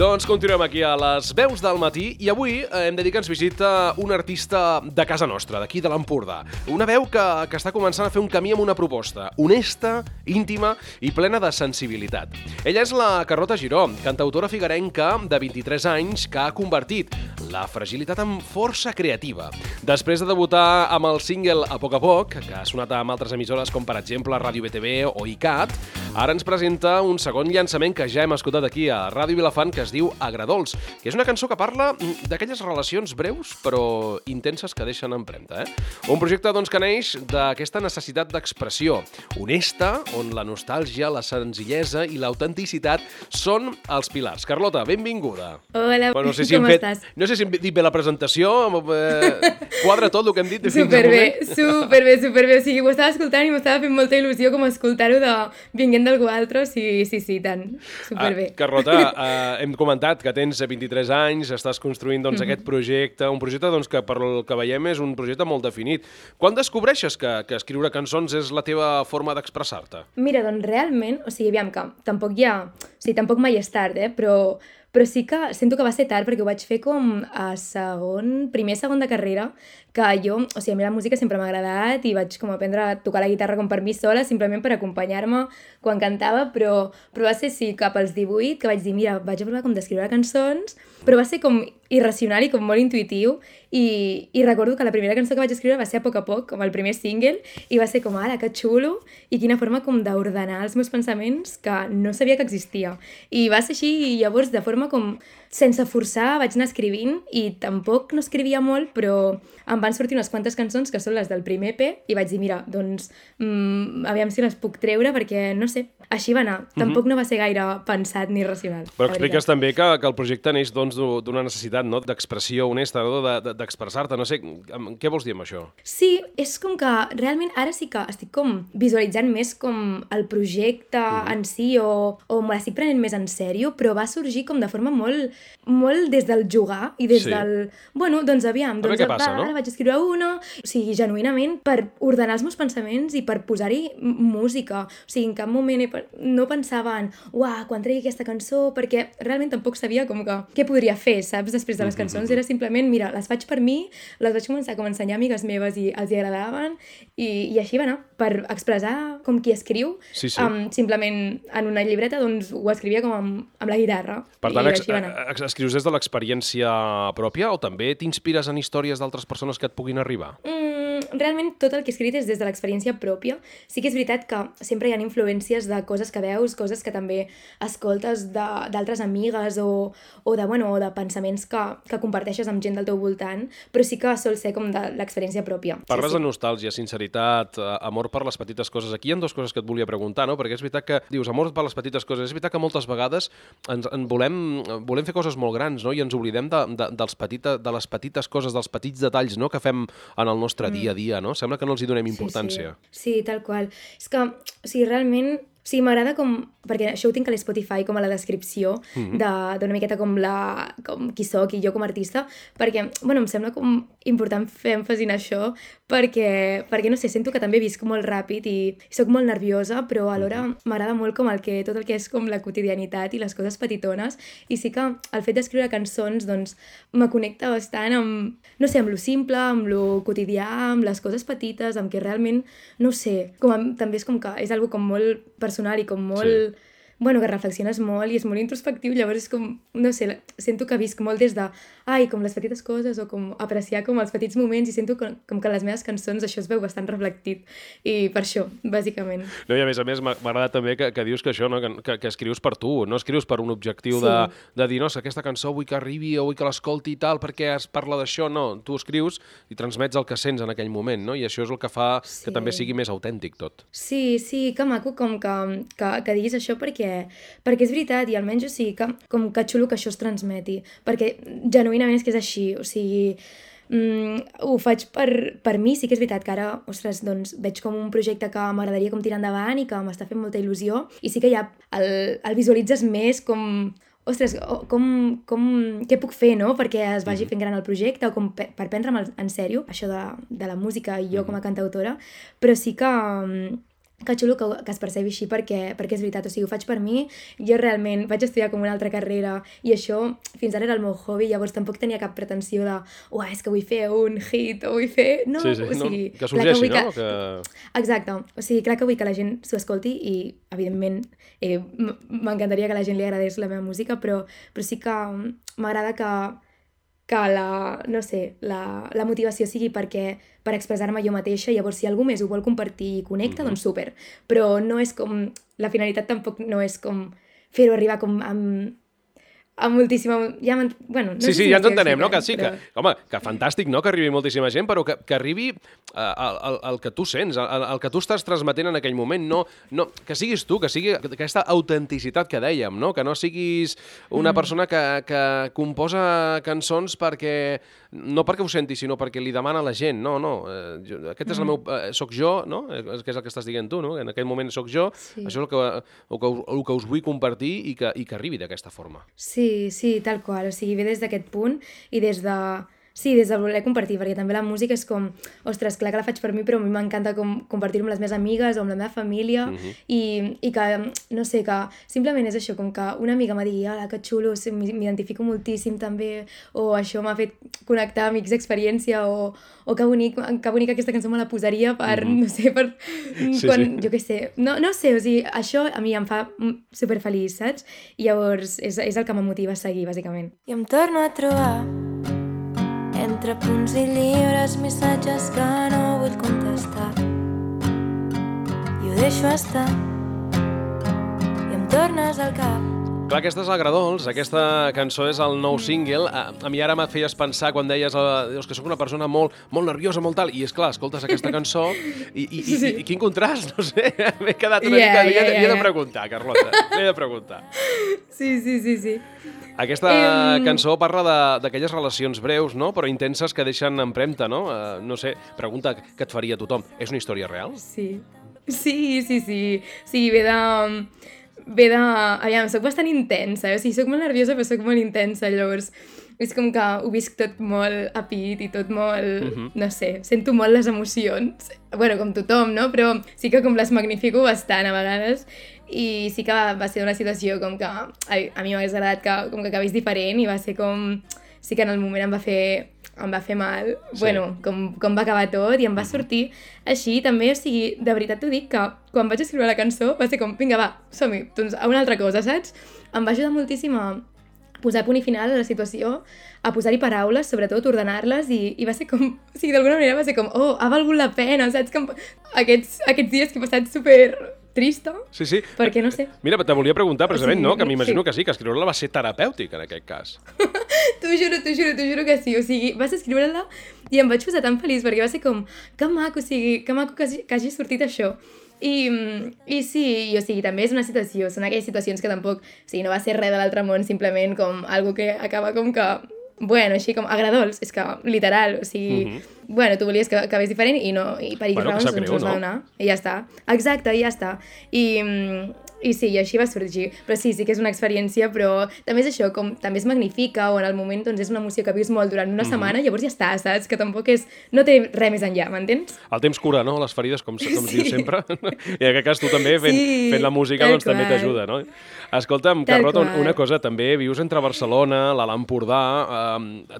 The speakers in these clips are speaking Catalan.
Doncs continuem aquí a les veus del matí i avui hem de dir que ens visita un artista de casa nostra, d'aquí de l'Empordà. Una veu que està començant a fer un camí amb una proposta honesta, íntima i plena de sensibilitat. Ella és la Carlota Giró, cantautora figuerenca de 23 anys que ha convertit la fragilitat en força creativa. Després de debutar amb el single A poc, que ha sonat amb altres emissores com per exemple Ràdio BTV o ICAT, ara ens presenta un segon llançament que ja hem escoltat aquí a Ràdio Vilafant, que es diu Agradols, que és una cançó que parla d'aquelles relacions breus però intenses que deixen empremta. Un projecte doncs, que neix d'aquesta necessitat d'expressió honesta, on la nostàlgia, la senzillesa i l'autenticitat són els pilars. Carlota, benvinguda. Hola, no sé si com estàs? No sé si hem dit bé la presentació, quadra tot el que hem dit fins superbé, superbé. O sigui, ho estava escoltant i m'estava fent molta il·lusió com escoltar-ho de vinguent d'algú altre, sí, tant, superbé. Carlota, hem comentat que tens 23 anys, estàs construint doncs, aquest projecte, un projecte doncs, que per el que veiem és un projecte molt definit. Quan descobreixes que escriure cançons és la teva forma d'expressar-te? Mira, doncs realment, o sigui, aviam que tampoc mai és tard, però sí que sento que va ser tard perquè ho vaig fer com a primer, segon de carrera, que jo, o sigui, a mi la música sempre m'ha agradat i vaig com aprendre a tocar la guitarra com per mi sola, simplement per acompanyar-me quan cantava, però va ser, sí, cap als 18, que vaig dir, mira, vaig a provar com d'escriure cançons, però va ser com irracional i com molt intuïtiu, i recordo que la primera cançó que vaig escriure va ser A poc, com el primer single, i va ser com, ara, que xulo, i quina forma com d'ordenar els meus pensaments que no sabia que existia. I va ser així, i llavors, de forma com sense forçar, vaig anar escrivint, i tampoc no escrivia molt, però em van sortir unes quantes cançons que són les del primer EP, i vaig dir, mira, doncs, aviam si les puc treure, perquè, no sé, així va anar. Tampoc no va ser gaire pensat ni racional. Però expliques també que el projecte neix doncs, d'una necessitat, no?, d'expressió honesta, no?, d'expressar-te. No sé, què vols dir amb això? Sí, és com que realment ara sí que estic com visualitzant més com el projecte en si, o me l'estic prenent més en sèrio, però va sorgir com de forma molt des del jugar i des del... Bueno, doncs aviam, doncs, què passa, no? Ara vaig escriure una, o sigui, genuïnament, per ordenar els meus pensaments i per posar-hi música. O sigui, en cap moment no pensava en uah, quan tregui aquesta cançó, perquè realment tampoc sabia com que què podria fer, saps, després de les cançons. Era simplement, mira, les faig per mi, les vaig començar com a ensenyar a amigues meves i els hi agradaven, i així va anar, per expressar com qui escriu, simplement en una llibreta, doncs ho escrivia com amb la guitarra. Per tant, escrius des de l'experiència pròpia o també t'inspires en històries d'altres persones que et puguin arribar? Realment tot el que he escrit és des de l'experiència pròpia. Sí que és veritat que sempre hi ha influències de coses que veus, coses que també escoltes d'altres amigues o de pensaments que comparteixes amb gent del teu voltant, però sí que sol ser com de l'experiència pròpia. Parles de nostàlgia, sinceritat, amor per les petites coses. Aquí hi ha dues coses que et volia preguntar, no? Perquè és veritat que dius amor per les petites coses. És veritat que moltes vegades volem fer coses molt grans, no? I ens oblidem de les petites coses, dels petits detalls, no?, que fem en el nostre dia a dia, no? Sembla que no els hi donem importància. Sí, tal qual. És que, o sigui, realment... Sí, m'agrada com... Perquè això ho tinc a l'Spotify com a la descripció d'una miqueta com qui soc i jo com a artista, perquè, bueno, em sembla com important fer èmfasi en això, perquè no sé, sento que també visc molt ràpid i soc molt nerviosa, però alhora m'agrada molt com tot el que és com la quotidianitat i les coses petitones, i sí que el fet d'escriure cançons, doncs, me connecta bastant amb, no sé, amb lo simple, amb lo quotidià, amb les coses petites, amb que realment, no ho sé, també és com que és algo com molt personal i com molt... Sí. Bueno, que reflexiones molt i és molt introspectiu, llavors és com, no sé, sento que visc molt des de, com les petites coses o com apreciar com els petits moments, i sento com que les meves cançons això es veu bastant reflectit, i per això, bàsicament. No, i a més m'agrada també que dius que això, no? que escrius per tu, no escrius per un objectiu de dir, no, aquesta cançó vull que arribi o vull que l'escolti i tal, perquè es parla d'això, no, tu escrius i transmets el que sents en aquell moment, no? I això és el que fa que també sigui més autèntic tot. Sí, que maco com que diguis això, perquè és veritat, i almenys, o sigui, que xulo que això es transmeti, perquè genuïnament és que és així, o sigui, ho faig per mi. Sí que és veritat que ara, ostres, doncs veig com un projecte que m'agradaria com tirar endavant i que m'està fent molta il·lusió, i sí que ja el visualitzes més com... Ostres, què puc fer, no?, perquè es vagi fent gran el projecte, o com per prendre'm en sèrio això de la música i jo com a cantautora, però sí que que xulo que es percebi així perquè és veritat, o sigui, ho faig per mi, jo realment vaig estudiar com una altra carrera i això fins ara era el meu hobby, llavors tampoc tenia cap pretensió de és que vull fer un hit o vull fer... No, sí, o sigui... No, que sorgeixi, no? Exacte, o sigui, clar que vull que la gent s'ho escolti i, evidentment, m'encantaria que la gent li agradés la meva música, però sí que m'agrada que no sé, la motivació sigui per expressar-me jo mateixa, llavors si algú més ho vol compartir i connecta, doncs súper. Però no és com... La finalitat tampoc no és com fer-ho arribar com amb moltíssima... Bueno, no sí, sé si ja ens entenem, no? Que sí, però... home, que fantàstic, no?, que arribi moltíssima gent, però que arribi el que tu sents, el que tu estàs transmetent en aquell moment, no que siguis tu, que sigui aquesta autenticitat que dèiem, no? Que no siguis una persona que composa cançons no perquè ho senti, sinó perquè li demana a la gent, no, aquest és el meu... soc jo, no? Que és el que estàs dient tu, no? En aquell moment soc jo, sí. Això és el que us vull compartir i que arribi d'aquesta forma. Sí, tal qual, o sigui, ve des d'aquest punt i des de voler compartir, perquè també la música és com, ostres, clar que la faig per mi, però a mi m'encanta compartir-ho amb les meves amigues o amb la meva família i que, no sé, que simplement és això, com que una amiga m'ha dit, que xulo, m'identifico moltíssim també, o això m'ha fet connectar amics d'experiència, o que bonic aquesta cançó me la posaria per, no sé, per quan, jo què sé, no sé, o sigui, això a mi em fa superfeliç, saps? I llavors és el que m'motiva a seguir, bàsicament. I em torno a trobar entre punts i llibres, missatges que no vull contestar. I ho deixo estar i em tornes al cap. Clar, aquesta és Agradols, aquesta cançó és el nou single. A mi ara m'et feies pensar quan deies que sóc una persona molt nerviosa, molt tal, i és clar, escoltes aquesta cançó i quin contrast, no sé, m'he quedat una mica... Li he de preguntar, Carlota, li he de preguntar. Sí. Aquesta cançó parla d'aquelles relacions breus, no?, però intenses que deixen empremta, no? No sé, pregunta que et faria tothom. És una història real? Sí, ve de... Aviam, soc bastant intensa, o sigui, soc molt nerviosa però soc molt intensa, llavors és com que ho visc tot molt a pit i tot molt, no sé, sento molt les emocions, bueno, com tothom, no? Però sí que com les magnifico bastant a vegades i sí que va ser una situació com que a mi m'hagués agradat que acabés diferent i va ser com... Sí que en el moment em va fer mal, sí. Bueno, com va acabar tot i em va sortir així també, o sigui, de veritat t'ho dic que quan vaig escriure la cançó va ser com, vinga, va, som-hi, doncs a una altra cosa, saps? Em va ajudar moltíssim a posar punt i final a la situació, a posar-hi paraules, sobretot, ordenar-les i va ser com, o sigui, d'alguna manera va ser com, ha valgut la pena, saps? Que aquests dies que he passat super trista, sí. Perquè no sé. Mira, te volia preguntar precisament, no? Que m'imagino que sí, que escriure-la va ser terapèutic en aquest cas. T'ho juro que sí, o sigui, vas escriure-la i em vaig posar tan feliç perquè va ser com, que maco, o sigui, que maco que hagi sortit això. I sí, o sigui, també és una situació, són aquelles situacions que tampoc, o sigui, no va ser res de l'altre món, simplement com algo que acaba com que, bueno, així com agradols, és que literal, o sigui, bueno, tu volies que acabés diferent i per X raons doncs no es va donar, i ja està. Exacte, i ja està. I sí, i així va sorgir. Però sí que és una experiència, però també és això, com també es magnifica, o en el moment doncs és una emoció que vius molt durant una setmana, llavors ja està, saps? Que tampoc no té res més enllà, m'entens? El temps cura, no? Les ferides, com dius sempre. I en aquest cas tu també, fent la música, doncs també t'ajuda, no? Escolta'm, Carlota, una cosa, també vius entre Barcelona, l'Alt Empordà,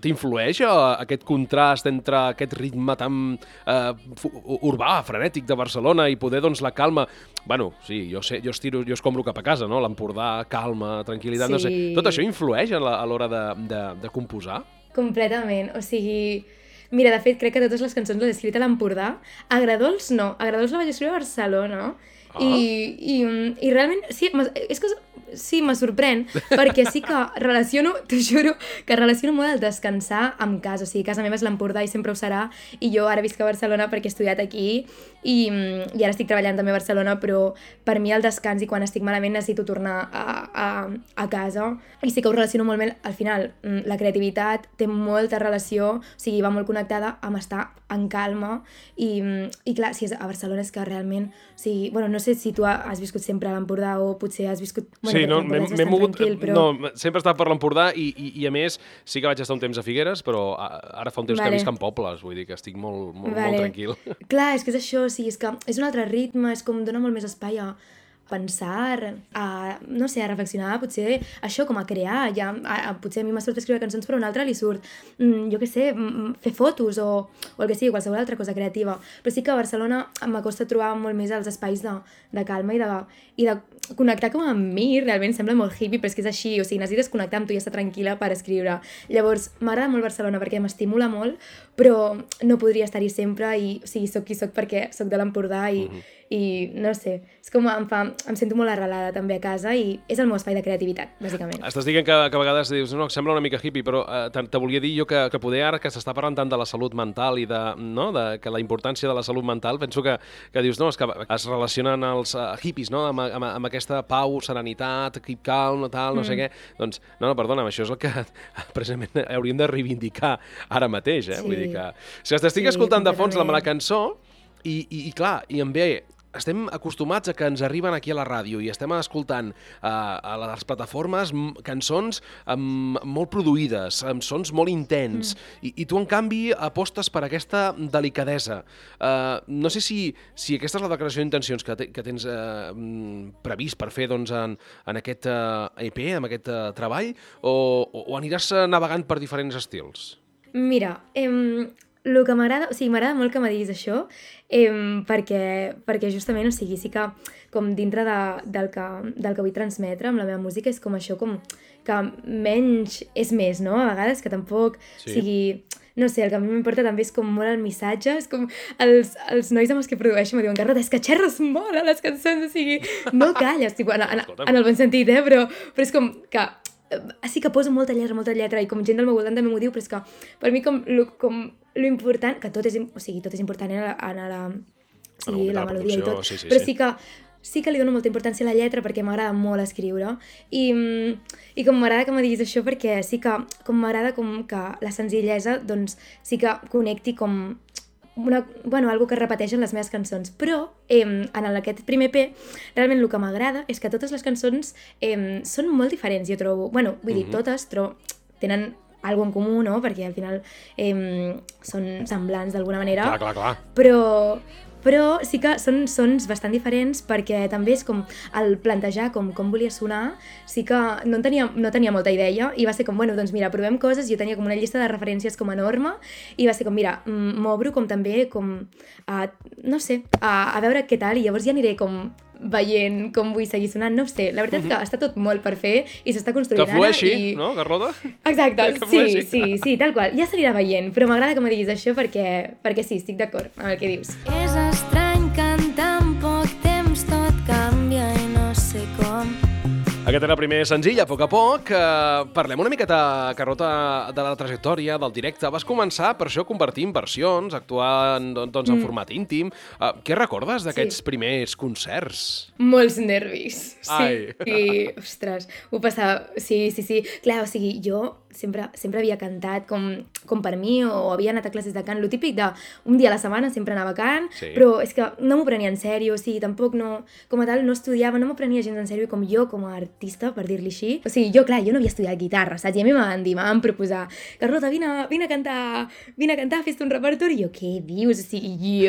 t'influeix aquest contrast entre aquest ritme tan urbà, frenètic de Barcelona i poder, doncs, la calma... Bueno, sí, jo escombro cap a casa, no? L'Empordà, calma, tranquil·litat, no sé. Tot això influeix a l'hora de composar? Completament, o sigui... Mira, de fet, crec que totes les cançons les he escrit a l'Empordà. Agradols no, Agradols la vaig escriure a Barcelona. I realment, sí, és que sí, me sorprèn, perquè sí que relaciono, t'ho juro, que relaciono molt el descansar amb casa, o sigui, casa meva és l'Empordà i sempre ho serà, i jo ara visc a Barcelona perquè he estudiat aquí i ara estic treballant també a Barcelona, però per mi el descans i quan estic malament necessito tornar a casa, i sí que ho relaciono molt bé, al final, la creativitat té molta relació, o sigui, va molt connectada amb estar en calma, i clar, si és a Barcelona és que realment, o sigui, bueno, no sé si tu has viscut sempre a l'Empordà o potser has viscut... Sí, no, m'he mogut... No, sempre he estat per l'Empordà i a més sí que vaig estar un temps a Figueres, però ara fa un temps que visc en Pobles, vull dir que estic molt tranquil. Clar, és que és això, o sigui, és que és un altre ritme, és com dona molt més espai a pensar, no sé, a reflexionar, potser això, com a crear, potser a mi m'ha sort escriure cançons però a un altre li surt, jo què sé, fer fotos o el que sigui, qualsevol altra cosa creativa. Però sí que a Barcelona m'acosta trobar molt més els espais de calma i de connectar com amb mi, realment sembla molt hippie, però és que és així, o sigui, necessites connectar amb tu i estar tranquil·la per escriure. Llavors, m'agrada molt Barcelona perquè m'estimula molt, però no podria estar-hi sempre i, o sigui, soc qui soc perquè soc de l'Empordà i no sé, és com em sento molt arrelada també a casa i és el meu espai de creativitat, bàsicament. Estàs dient que a vegades dius, no, sembla una mica hippie, però te volia dir jo que poder ara que s'està parlant tant de la salut mental i que la importància de la salut mental, penso que dius, no, és que es relacionen els hippies, no?, amb aquesta pau, serenitat, keep calm, tal, no sé què. Doncs, no, perdona'm, això és el que precisament hauríem de reivindicar ara mateix, eh? Sí. Vull dir que... Si t'estic escoltant de fons la cançó i clar, i em ve... Estem acostumats a que ens arriben aquí a la ràdio i estem escoltant a les plataformes cançons molt produïdes, amb sons molt intens, i tu, en canvi, apostes per aquesta delicadesa. No sé si aquesta és la declaració d'intencions que tens previst per fer doncs, en aquest EP, en aquest treball, o aniràs navegant per diferents estils? Mira, el que m'agrada, o sigui, m'agrada molt que me diguis això, perquè justament, o sigui, sí que com dintre del que vull transmetre amb la meva música és com això, com que menys és més, no? A vegades que tampoc sigui... No sé, el que a mi m'importa també és com molt el missatge, és com els nois amb els que produeixo me diuen, Carlota, és que xerres molt a les cançons, o sigui, no calles, tipus, en el bon sentit, però és com que sí que poso molta lletra i com gent del meu voltant també m'ho diu, però és que per mi com lo important, que tot és important la melodia i tot, però sí que li dono molta importància a la lletra perquè m'agrada molt escriure i com m'agrada que me diguis això perquè sí que com m'agrada com que la senzillesa doncs sí que connecti com algo que repeteix en les meves cançons, però en aquest primer EP realment el que m'agrada és que totes les cançons són molt diferents, jo trobo, vull dir totes, però tenen algo en comú, no? Perquè al final són semblants d'alguna manera. Clar. Però sí que són sons bastant diferents perquè també és com el plantejar com volia sonar, sí que no tenia molta idea i va ser com, doncs mira, provem coses, jo tenia com una llista de referències com enorme i va ser com, mira, m'obro com també com, no sé, a veure què tal i llavors ja aniré com veient com vull seguir sonant, no ho sé. La veritat és que està tot molt per fer i s'està construint ara. Que flueixi, no, Carlota? Exacte, sí, tal qual. Ja s'anirà veient, però m'agrada que me diguis això perquè sí, estic d'acord amb el que dius. És estrany que en tan poc temps tot canvia i no sé com. Aquest era el primer senzill, a poc. Parlem una miqueta, Carlota, de la trajectòria, del directe. Vas començar, per això, compartint versions, actuant doncs, en format íntim. Què recordes d'aquests primers concerts? Molts nervis. Ai. Sí, ostres, ho passava... Sí. Clar, o sigui, jo sempre havia cantat com per mi o havia anat a classes de cant. Lo típic d'un dia a la setmana sempre anava a cant, però és que no m'ho prenia en sèrio, o sigui, tampoc no... Com a tal, no estudiava, no m'ho prenia gens en sèrio com jo, com a artista, per dir-li així. O sigui, jo no havia estudiat guitarra, saps? I a mi em van proposar, Carlota, vine a cantar, fes-te un repertori. I jo, què dius? O sigui,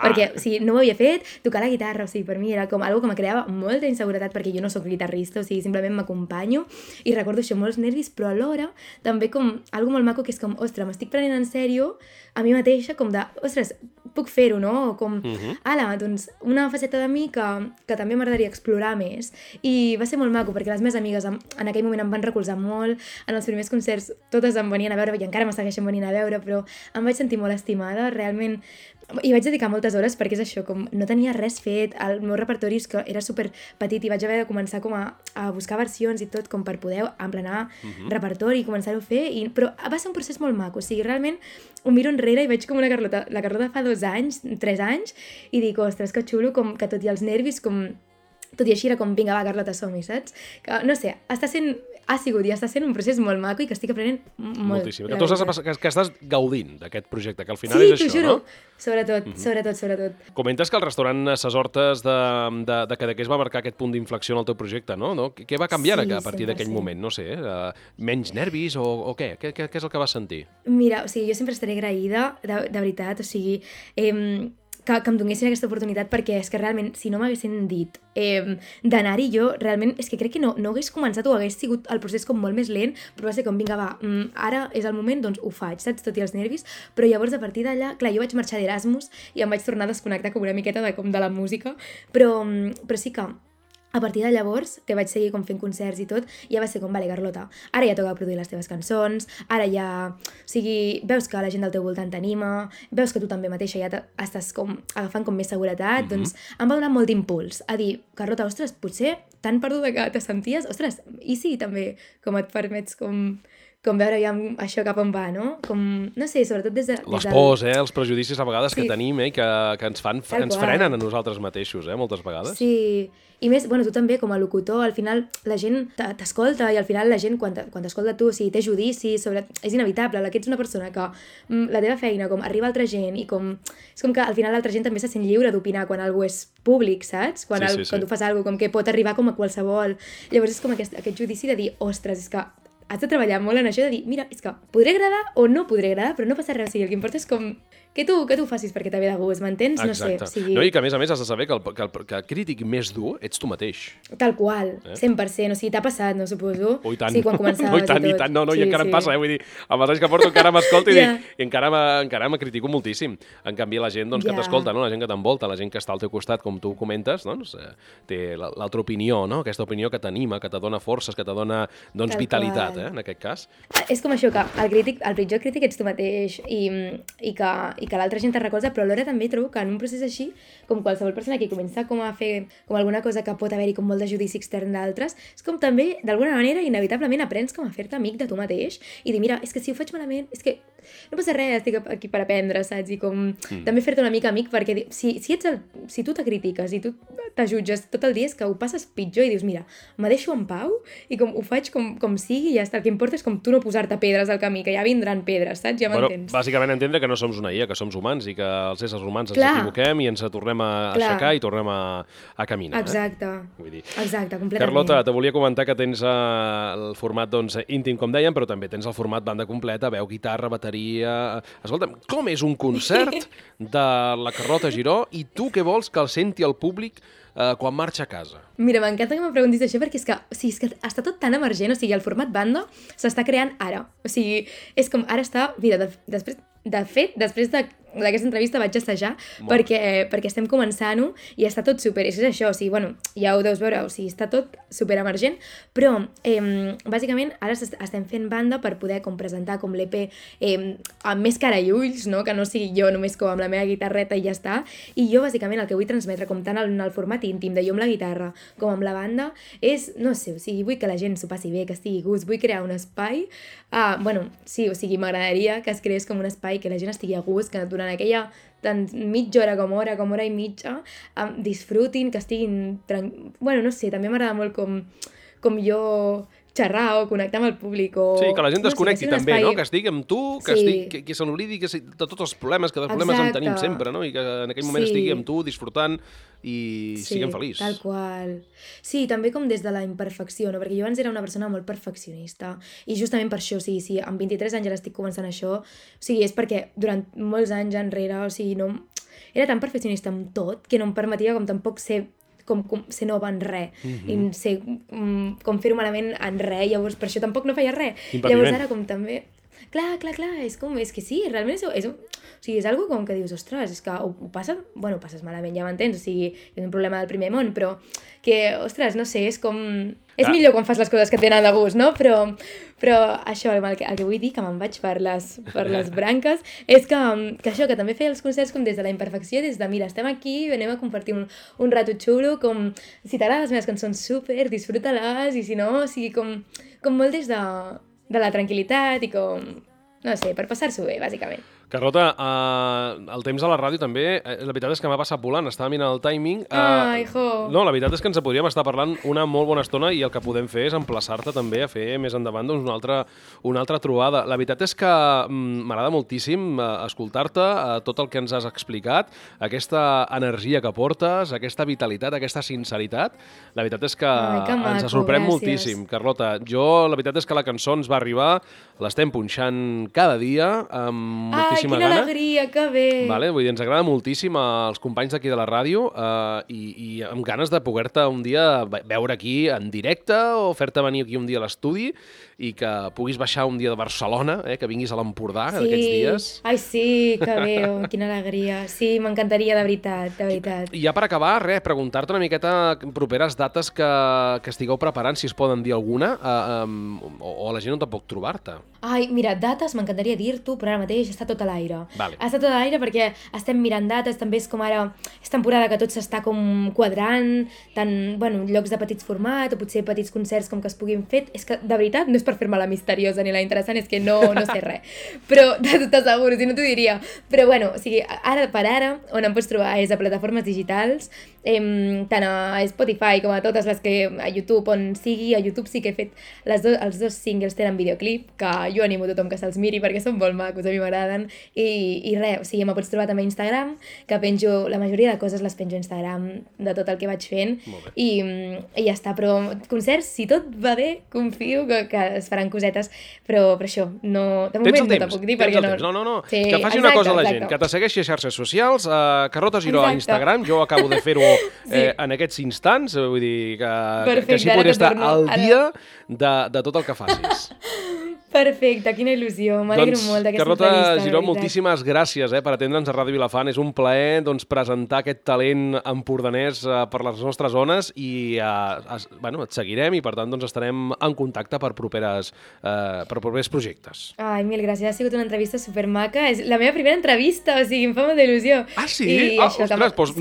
perquè, o sigui, no ho havia fet, tocar la guitarra, o sigui, per mi era com algo que me creava molta inseguretat perquè jo no sóc guitarrista, o sigui, simplement m'acompanyo i recordo això, molts nervis, però alhora també com algo molt maco que és com, ostres, m'estic prenent en sèrio a mi mateixa, com de, ostres, puc fer-ho, no? Com, doncs, una faceta de mi que també m'agradaria explorar més. I va ser molt maco, perquè les meves amigues en aquell moment em van recolzar molt, en els primers concerts totes em venien a veure, i encara me segueixen venint a veure, però em vaig sentir molt estimada, realment, i vaig dedicar moltes hores perquè és això, com no tenia res fet, el meu repertori és que era super petit i vaig haver de començar com a buscar versions i tot com per poder emplenar repertori i començar-ho a fer, però va ser un procés molt maco, o sigui, realment ho miro enrere i veig com la Carlota fa 2 anys, 3 anys, i dic, ostres, que xulo, com que tot i els nervis, com tot i així era com, vinga, va, Carlota, som-hi, saps? Que, no sé, ha sigut i està sent un procés molt maco i que estic aprenent molt. Moltíssim. Que estàs gaudint d'aquest projecte, que al final és això, no? Sí, t'ho juro. Sobretot. Comentes que el restaurant Ses Hortes de Cadaqués va marcar aquest punt d'inflexió en el teu projecte, no? Què va canviar a partir d'aquell moment? No sé, menys nervis o què? Què és el que vas sentir? Mira, o sigui, jo sempre estaré agraïda, de veritat, o sigui... que em donessin aquesta oportunitat, perquè és que realment, si no m'haguessin dit d'anar-hi, jo realment és que crec que no hagués començat o hagués sigut el procés com molt més lent, però va ser com, vinga, va, ara és el moment, doncs ho faig, saps? Tot i els nervis, però llavors a partir d'allà, clar, jo vaig marxar d'Erasmus i em vaig tornar a desconnectar com una miqueta de la música, però sí que a partir de llavors, que vaig seguir com fent concerts i tot, ja va ser com, vale, Carlota, ara ja toca produir les teves cançons, ara ja... O sigui, veus que la gent del teu voltant t'anima, veus que tu també mateixa ja estàs com agafant com més seguretat, doncs em va donar molt d'impuls a dir, Carlota, ostres, potser tan perduda que te senties, ostres, i sí, també, com et permets com veure ja això cap on va, no? Com, no sé, sobretot des de... Les pors, els prejudicis a vegades que tenim i que ens frenen a nosaltres mateixos, moltes vegades. Sí, i més, bueno, tu també com a locutor, al final la gent t'escolta i al final la gent quan t'escolta tu, si té judicis sobre... És inevitable, que ets una persona que la teva feina com arriba a altra gent i com... És com que al final l'altra gent també se sent lliure d'opinar quan algú és públic, saps? Quan tu fas alguna cosa com que pot arribar com a qualsevol. Llavors és com aquest judici de dir, ostres, és que has de treballar molt en això de dir, mira, és que podré agradar o no podré agradar, però no passa res, o sigui, el que importa és com que tu ho facis perquè t'ha ve de gust, m'entens? No sé, o sigui... No, i que a més has de saber que el crític més dur ets tu mateix. Tal qual, 100%, o sigui, t'ha passat, no suposo? Oh, i tant. Sí, quan començaves i tant, no, i encara em passa, vull dir, amb els anys que porto encara m'escolto i encara me critico moltíssim. En canvi, la gent que t'escolta, no? La gent que t'envolta, la gent que està al teu costat, com tu comentes, doncs, té l'altra opinió, no? Aquesta opinió que t'anima, que te dona forces, que te dona, doncs, vitalitat, en aquest cas. És com això, que el pitjor crític ets tu mateix i que l'altra gent te recolza, però alhora també trobo que en un procés així, com qualsevol persona que comença com a fer com alguna cosa que pot haver-hi com molt de judici extern d'altres, és com també, d'alguna manera, inevitablement aprens com a fer-te amic de tu mateix i dir, mira, és que si ho faig malament, és que no passa res, estic aquí per aprendre, saps? I com també fer-te una mica amic, perquè si tu te critiques i tu te jutges tot el dia és que ho passes pitjor i dius, mira, me deixo en pau i com ho faig com sigui i ja està. El que importa és com tu no posar-te pedres al camí, que ja vindran pedres, saps? Ja m'entens. Bàsicament entendre que no som una IA, que som humans i que els éssers humans ens equivoquem i ens tornem a aixecar i tornem a caminar. Exacte. Vull dir. Exacte, completament. Carlota, te volia comentar que tens el format doncs, íntim, com dèiem, però també tens el format banda completa, veu, guitarra, bateria... Escolta'm, com és un concert de la Carlota Giró i tu què vols que el senti el públic quan marxa a casa? Mira, m'encanta que me preguntis això perquè és que està tot tan emergent, o sigui, el format banda s'està creant ara. O sigui, és com ara està... Mira, després d'aquesta entrevista vaig assajar perquè estem començant-ho i està tot super, és això, o sigui, bueno, ja ho deus veure, o sigui, està tot super emergent, però bàsicament ara estem fent banda per poder com presentar com l'EP amb més cara i ulls, no? Que no sigui jo només com amb la meva guitarreta i ja està, i jo bàsicament el que vull transmetre com tant en el format íntim de jo amb la guitarra com amb la banda és, no sé, o sigui, vull que la gent s'ho passi bé, que estigui a gust, vull crear un espai, sí, o sigui, m'agradaria que es creés com un espai que la gent estigui a gust, que durant aquella tant mitja hora com hora i mitja disfrutin, que estiguin bueno, no sé, també m'agrada molt com jo xerrar o connectar amb el públic sí, que la gent desconnecti també, no? Que estigui amb tu, que se n'oblidi de tots els problemes, que de problemes en tenim sempre, no? I que en aquell moment estigui amb tu, disfrutant i siguem feliços. Tal qual. Sí, també com des de la imperfecció, no? Perquè jo abans era una persona molt perfeccionista i justament per això, o sigui, si amb 23 anys ara estic començant això, o sigui, és perquè durant molts anys enrere, o sigui, no... Era tan perfeccionista amb tot que no em permetia com tampoc ser nova en res, i ser, com fer-ho malament en res, llavors per això tampoc no feia res. Llavors ara com també... Clar, és que sí, realment o sigui, és algo com que dius, ostres, és que ho passes malament, ja m'entens, o sigui, és un problema del primer món, però que, ostres, no sé, és com... És millor quan fas les coses que et tenen de gust, no? Però això, el que vull dir, que me'n vaig per les branques, és que això, que també feia els concerts com des de la imperfecció, des de, mira, estem aquí, anem a compartir un rato xulo, com, si t'agraden les meves cançons, super, disfruta-les, i si no, o sigui, com molt des de la tranquil·litat i com, no sé, per passar-s'ho bé, bàsicament. Carlota, el temps a la ràdio també, la veritat és que m'ha passat volant, estava mirant el timing. No, la veritat és que ens podríem estar parlant una molt bona estona i el que podem fer és emplaçar-te també a fer més endavant doncs, una altra trobada. La veritat és que m'agrada moltíssim escoltar-te, tot el que ens has explicat, aquesta energia que portes, aquesta vitalitat, aquesta sinceritat. La veritat és que ens sorprèn moltíssim, Carlota. La veritat és que la cançó ens va arribar, l'estem punxant cada dia, amb moltíssima moltíssima quina gana. alegria, que bé. Vale, vull dir, ens agrada moltíssim als companys d'aquí de la ràdio i amb ganes de poder-te un dia veure aquí en directe o fer-te venir aquí un dia a l'estudi i que puguis baixar un dia de Barcelona, que vinguis a l'Empordà aquests dies. Ai, sí, que bé, quina alegria. Sí, m'encantaria, de veritat, de veritat. I ja per acabar, preguntar-te una miqueta properes dates que estigueu preparant, si es poden dir alguna, o la gent no tampoc trobar-te. Ai, mira, dates m'encantaria dir-t'ho, però ara mateix està tot a l'aire. Vale. Està tot a l'aire perquè estem mirant dates, també és com ara, és temporada que tot s'està com quadrant, tant, bueno, llocs de petits format o potser petits concerts com que es puguin fer. És que, de veritat, no és per fer-me la misteriosa ni la interessant, és que no sé res. Però t'asseguro, si no t'ho diria. Però bueno, o sigui, ara per ara, on em pots trobar és a plataformes digitals, tant a Spotify com a totes les que a YouTube, on sigui. A YouTube sí que he fet els dos singles tenen videoclip, que jo animo a tothom que se'ls miri perquè són molt macos, a mi m'agraden. I res, o sigui, me pots trobar també a Instagram, que penjo, la majoria de coses les penjo a Instagram, de tot el que vaig fent. I ja està, però concerts, si tot va bé, confio que es faran cosetes, però per això, no, de moment no te puc dir perquè no. No. Sí, que faci una cosa a la gent, que te segueixi a xarxes socials, Carlota Giró a Instagram, jo acabo de fer-ho en aquests instants, vull dir que així podria estar al dia de tot el que facis. Perfecte, quina il·lusió, m'alegro molt d'aquesta entrevista. Carlota Giró, moltíssimes gràcies per atendre'ns a Ràdio Vilafant. És un plaer presentar aquest talent empordanès per les nostres zones i et seguirem i per tant estarem en contacte per propers projectes. Ai, mil gràcies, ha sigut una entrevista supermaca. És la meva primera entrevista, o sigui, em fa molta il·lusió. Ah, sí? Ostres,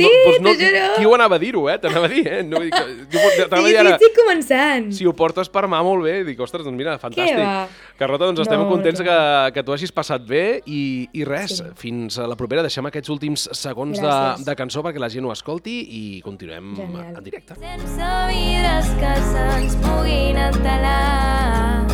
qui ho anava a dir-ho, t'anava a dir, No, sí, estic començant. Si ho portes per mà, molt bé. Dic, ostres, doncs mira, fantàstic. Carlota, estem contents que t'ho hagis passat bé i res, fins a la propera. Deixem aquests últims segons de cançó perquè la gent ho escolti i continuem en directe. Sense vidres que se'ns puguin entelar,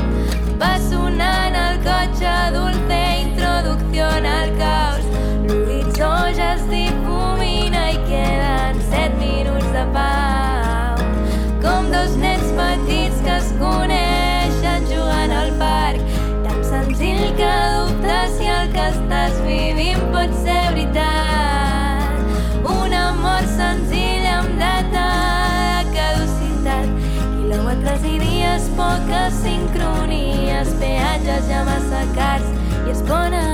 va sonant el cotxe dulce introducción al caos, l'horitzó ja es difumina i queden 7 minuts de pau, com dos nens petits que es coneixen jugant al parc, tan senzill que dubtes si el que estàs vivint pot ser veritat. Un amor senzill amb data de caducitat, quilòmetres i dies, poques sincronies, peatges ja massa cars i es ponen